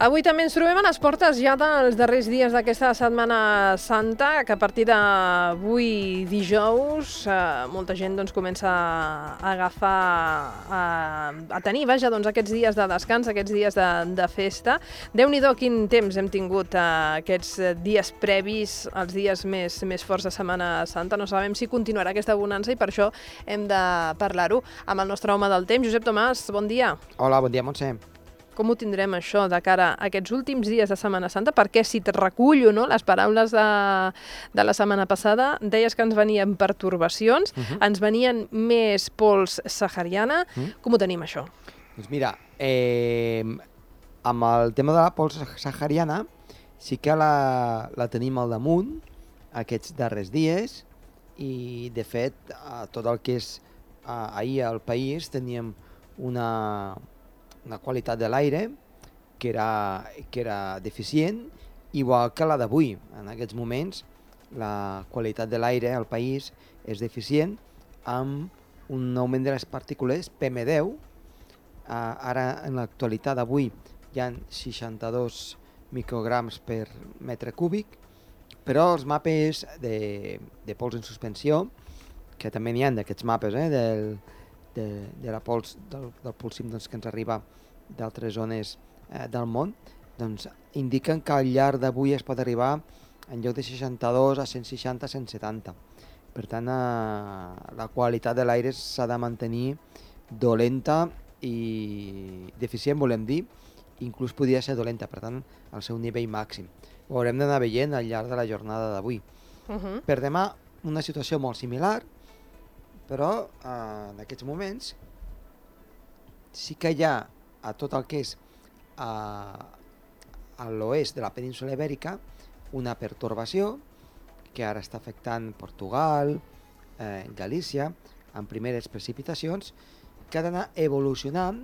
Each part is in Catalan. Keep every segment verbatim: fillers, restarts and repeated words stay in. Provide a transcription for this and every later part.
Avui també ens trobem a les portes ja dels darrers dies d'aquesta Setmana Santa, que a partir d'avui dijous eh, molta gent doncs, comença a agafar, a, a tenir vaja, doncs, aquests dies de descans, aquests dies de, de festa. Déu-n'hi-do quin temps hem tingut eh, aquests dies previs, els dies més, més forts de Setmana Santa. No sabem si continuarà aquesta bonança i per això hem de parlar-ho amb el nostre home del temps. Josep Tomàs, bon dia. Hola, bon dia, Montse. Com ho tindrem això de cara a aquests últims dies de Setmana Santa? Perquè si et recullo, no, les paraules de, de la setmana passada, deies que ens venien pertorbacions, uh-huh. ens venien més pols sahariana. Uh-huh. Com ho tenim, això? Doncs mira, eh, amb el tema de la pols sahariana sí que la, la tenim al damunt aquests darrers dies i, de fet, a tot el que és a, ahir al país teníem una... una qualitat de l'aire que era, que era deficient, igual que la d'avui. En aquests moments la qualitat de l'aire al país és deficient amb un augment de les partícules P M deu. Uh, ara, en l'actualitat d'avui, hi ha seixanta-dos micrograms per metre cúbic, però els mapes de, de pols en suspensió, que també n'hi ha d'aquests mapes, eh, del, de, de la pols, del, del pulsim doncs, que ens arriba d'altres zones eh, del món, doncs indiquen que al llarg d'avui es pot arribar en lloc de seixanta-dos a cent seixanta a cent setanta. Per tant, eh, la qualitat de l'aire s'ha de mantenir dolenta i deficient, volem dir, inclús podria ser dolenta, per tant, al seu nivell màxim. Ho haurem d'anar veient al llarg de la jornada d'avui. Uh-huh. Per demà, una situació molt similar, però eh, en aquests moments sí que hi ha a tot el que és a, a l'oest de la península ibèrica una pertorbació que ara està afectant Portugal, eh, Galícia, amb primeres precipitacions, que ha d'anar evolucionant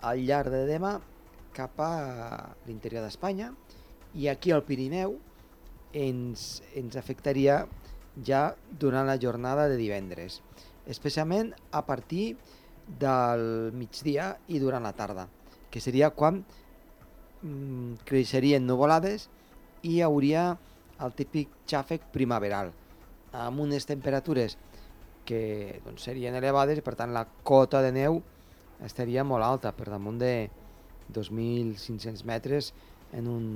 al llarg de demà cap a l'interior d'Espanya, i aquí al Pirineu ens, ens afectaria ja durant la jornada de divendres, especialment a partir del migdia i durant la tarda, que seria quan mm, creixerien nuvolades i hi hauria el típic xàfec primaveral, amb unes temperatures que doncs, serien elevades i per tant la cota de neu estaria molt alta, per damunt de dos mil cinc-cents metres en un,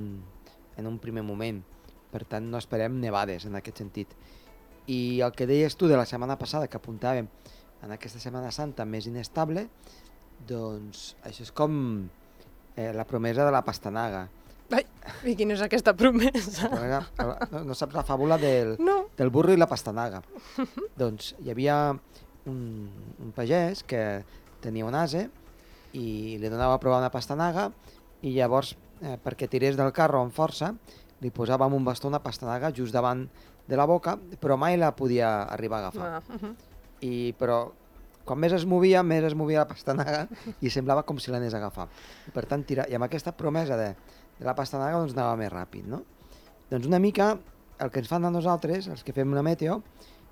en un primer moment. Per tant no esperem nevades en aquest sentit. I el que deies tu de la setmana passada, que apuntàvem en aquesta Setmana Santa més inestable, doncs això és com eh, la promesa de la pastanaga. Ai, i quina és aquesta promesa? promesa no, no saps la fàbula del, no. del burro i la pastanaga. Doncs hi havia un, un pagès que tenia un ase i li donava a provar una pastanaga i llavors, eh, perquè tirés del carro amb força, li posava amb un bastó una pastanaga just davant de la boca, però mai la podia arribar a agafar. Ah, uh-huh. I, però quan més es movia, més es movia la pastanaga i semblava com si l'anés a agafar. I per tant, tira, i amb aquesta promesa de, de la pastanaga doncs anava més ràpid, no? Doncs una mica el que ens fan a nosaltres, els que fem una meteo,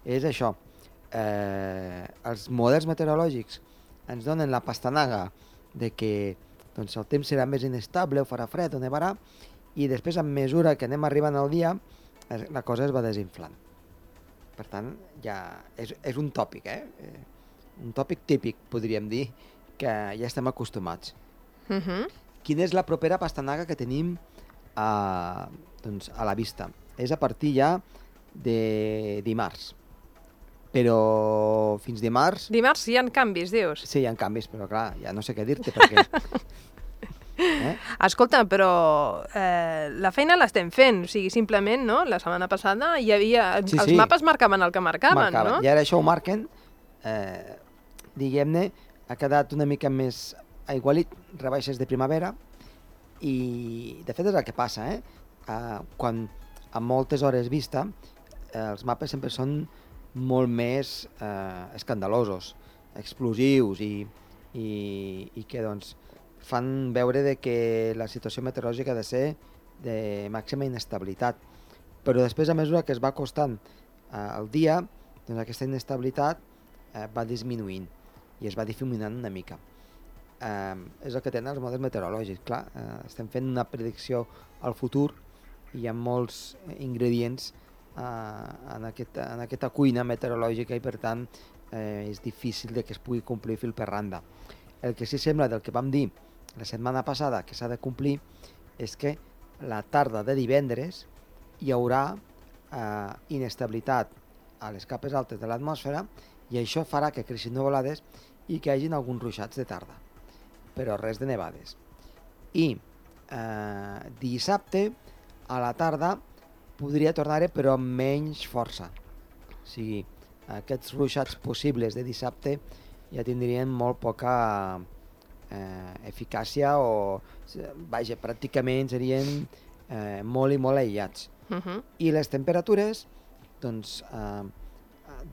és això. Eh, els models meteorològics ens donen la pastanaga de que doncs, el temps serà més inestable, o farà fred, o nevarà, i després, a mesura que anem arribant al dia, la cosa es va desinflant. Per tant, ja és, és un tòpic, eh? Un tòpic típic, podríem dir, que ja estem acostumats. Uh-huh. Quina és la propera pastanaga que tenim a, doncs, a la vista? És a partir ja de dimarts. Però fins dimarts... Dimarts hi ha canvis, dius? Sí, hi ha canvis, però clar, ja no sé què dir-te, perquè... Eh? Escolta, però eh, la feina l'estem fent, o sigui, simplement, no? La setmana passada hi havia... Sí, els sí. mapes marcaven el que marcaven, marcaven, no? I ara això ho marquen, eh, diguem-ne, ha quedat una mica més aigualit, rebaixes de primavera, i de fet és el que passa, eh? Eh, quan a moltes hores vista, eh, els mapes sempre són molt més eh, escandalosos, explosius, i, i, i que, doncs, fan veure de que la situació meteorològica ha de ser de màxima inestabilitat. Però després, a mesura que es va acostant eh, el dia, doncs aquesta inestabilitat eh, va disminuint i es va difuminant una mica. eh, és el que tenen els models meteorològics. Clar, eh, estem fent una predicció al futur i hi ha molts ingredients eh, en, aquest, en aquesta cuina meteorològica i per tant eh, és difícil de que es pugui complir fil per randa. El que sí sembla del que vam dir la setmana passada que s'ha de complir és que la tarda de divendres hi haurà eh, inestabilitat a les capes altes de l'atmosfera i això farà que creixin nuvolades i que hi hagin alguns ruixats de tarda, però res de nevades. I eh, dissabte a la tarda podria tornar-hi però amb menys força. O sigui, aquests ruixats possibles de dissabte ja tindrien molt poca eh, eficàcia o, vaja, pràcticament serien eh, molt i molt aïllats. Uh-huh. I les temperatures, doncs, eh,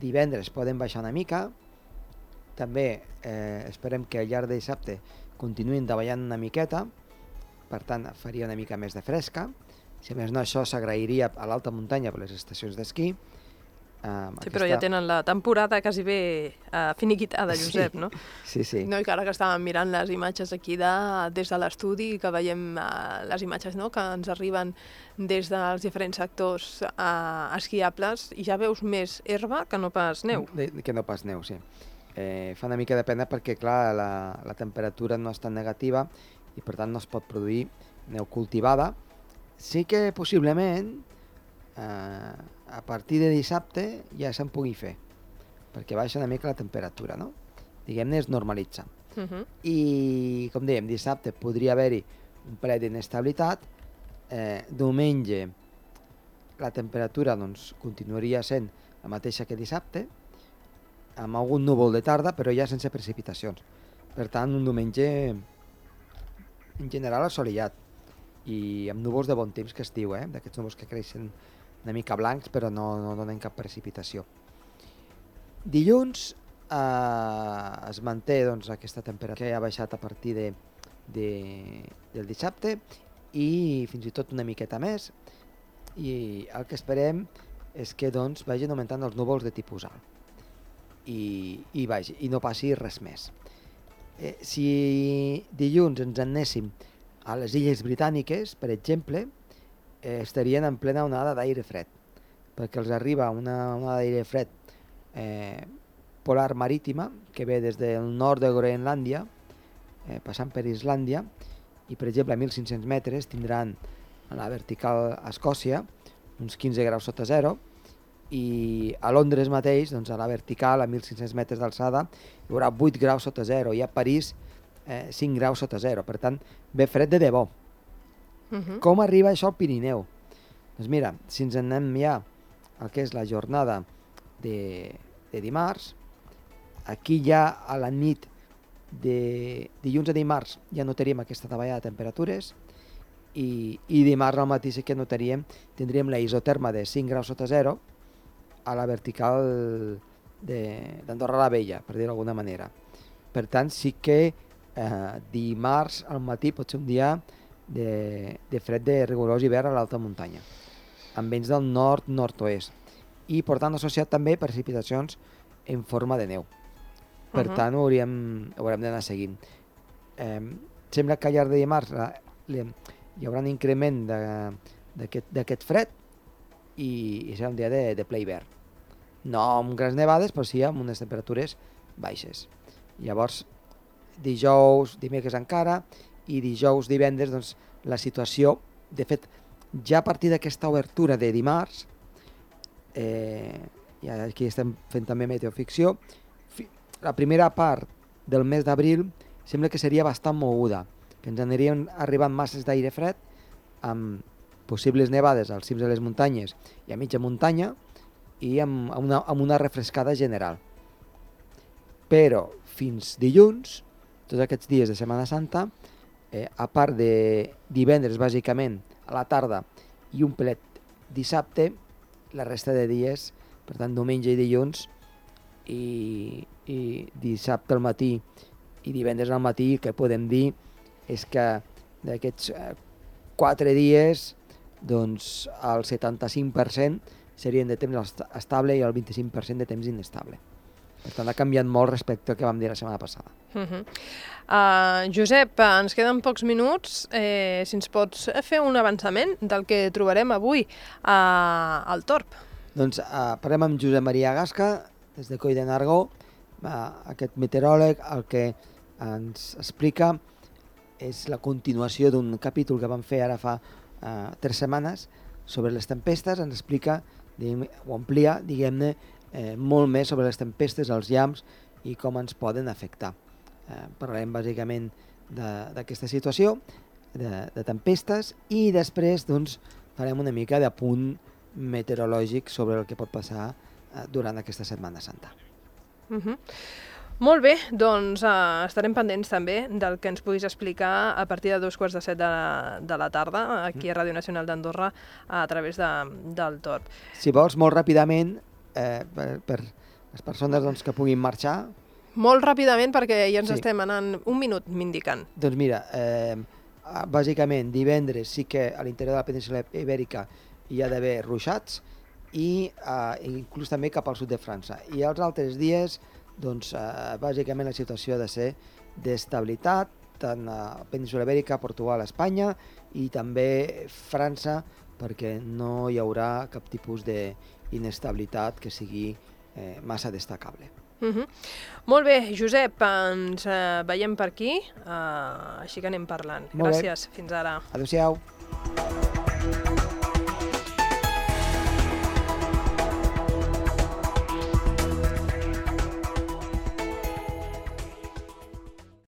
divendres poden baixar una mica, també eh, esperem que al llarg de dissabte continuïn davallant una miqueta, per tant faria una mica més de fresca, si a més no això s'agrairia a l'alta muntanya per les estacions d'esquí. Um, sí, aquesta... però ja tenen la temporada quasi bé uh, finiquitada, Josep, sí, no? Sí, sí. No, i que ara que estàvem mirant les imatges aquí de, des de l'estudi, que veiem uh, les imatges, no?, que ens arriben des dels diferents sectors uh, esquiables, i ja veus més herba que no pas neu. De, que no pas neu, sí. Eh, fa una mica de pena perquè, clar, la, la temperatura no és tan negativa i per tant no es pot produir neu cultivada. Sí que possiblement eh, a partir de dissabte ja se'n pugui fer, perquè baixa una mica la temperatura, no? Diguem-ne, es normalitza. Uh-huh. I, com dèiem, dissabte podria haver-hi un parell d'inestabilitat, eh, diumenge la temperatura doncs, continuaria sent la mateixa que dissabte, amb algun núvol de tarda, però ja sense precipitacions. Per tant, un diumenge en general assolellat i amb núvols de bon temps, que es diu, eh? D'aquests núvols que creixen una mica blancs però no, no donen cap precipitació. Dilluns eh, es manté doncs, aquesta temperatura que ha baixat a partir de, de, del dissabte i fins i tot una miqueta més, i el que esperem és que doncs, vagin augmentant els núvols de tipus alt i, i, vagi, i no passi res més. Eh, si dilluns ens anéssim a les Illes Britàniques, per exemple, eh, estarien en plena onada d'aire fred, perquè els arriba una onada d'aire fred eh, polar marítima que ve des del nord de Groenlàndia, eh, passant per Islàndia, i per exemple a mil cinc-cents metres tindran a la vertical a Escòcia uns quinze graus sota zero, i a Londres mateix, doncs a la vertical a mil cinc-cents metres d'alçada hi haurà vuit graus sota zero, i a París eh, cinc graus sota zero, per tant ve fred de debò. Uh-huh. Com arriba això al Pirineu? Doncs mira, si ens anem ja al que és la jornada de, de dimarts, aquí ja a la nit de dilluns a dimarts ja notaríem aquesta davallada de temperatures, i, i dimarts al matí sí que notaríem, tindríem la isoterma de cinc graus sota zero a la vertical d'Andorra la Vella, per dir-ho d'alguna manera. Per tant, sí que eh, dimarts al matí pot ser un dia de, de fred de rigorós hivern a l'alta muntanya, amb vents del nord-nord-oest, i per tant associat també precipitacions en forma de neu. Per uh-huh. tant, ho hauríem, ho haurem d'anar seguint. Eh, sembla que al llarg de dimarts la, li, hi haurà un increment d'aquest fred i, i serà un dia de, de ple hivern. No amb grans nevades, però sí amb unes temperatures baixes. Llavors, dijous, dimecres encara, i dijous, divendres, doncs, la situació, de fet, ja a partir d'aquesta obertura de dimarts, eh, i aquí estem fent també meteoficció, la primera part del mes d'abril sembla que seria bastant moguda, que ens anirien arribant masses d'aire fred amb possibles nevades als cims de les muntanyes i a mitja muntanya i amb una, amb una refrescada general. Però fins dilluns, tots aquests dies de Setmana Santa, eh, a part de divendres bàsicament a la tarda i un pelet dissabte, la resta de dies, per tant diumenge i dilluns, i, i dissabte al matí i divendres al matí, el que podem dir és que d'aquests eh, quatre dies, doncs el setanta-cinc per cent serien de temps estable i el vint-i-cinc per cent de temps inestable. Per tant, ha canviat molt respecte al que vam dir la setmana passada. Uh -huh. uh, Josep, ens queden pocs minuts. Eh, si ens pots fer un avançament del que trobarem avui uh, al Torb. Doncs uh, parlem amb Josep Maria Gasca, des de Coll de Nargó. Uh, aquest meteoròleg el que ens explica és la continuació d'un capítol que vam fer ara fa uh, tres setmanes sobre les tempestes. Ens explica, diguem, o amplia, diguem-ne, eh, molt més sobre les tempestes, els llamps i com ens poden afectar. Eh, parlarem bàsicament d'aquesta situació, de, de tempestes, i després doncs, farem una mica d'apunt meteorològic sobre el que pot passar eh, durant aquesta Setmana Santa. Uh -huh. Molt bé, doncs uh, estarem pendents també del que ens puguis explicar a partir de dos quarts de set de la, de la tarda aquí a Ràdio Nacional d'Andorra a través de, del Torb. Si vols, molt ràpidament, eh, per, per les persones doncs, que puguin marxar... Molt ràpidament, perquè ja ens Sí. estem anant un minut, m'indiquen. Doncs mira, eh, bàsicament divendres sí que a l'interior de la península Ibèrica hi ha d'haver ruixats i eh, inclús també cap al sud de França. I els altres dies, doncs, eh, bàsicament la situació ha de ser d'estabilitat, tant a la península Ibèrica, Portugal, Espanya i també França, perquè no hi haurà cap tipus d'inestabilitat que sigui eh, massa destacable. Uh -huh. Molt bé, Josep, ens uh, veiem per aquí, uh, així que anem parlant. Molt bé. Gràcies, fins ara. Adéu-siau.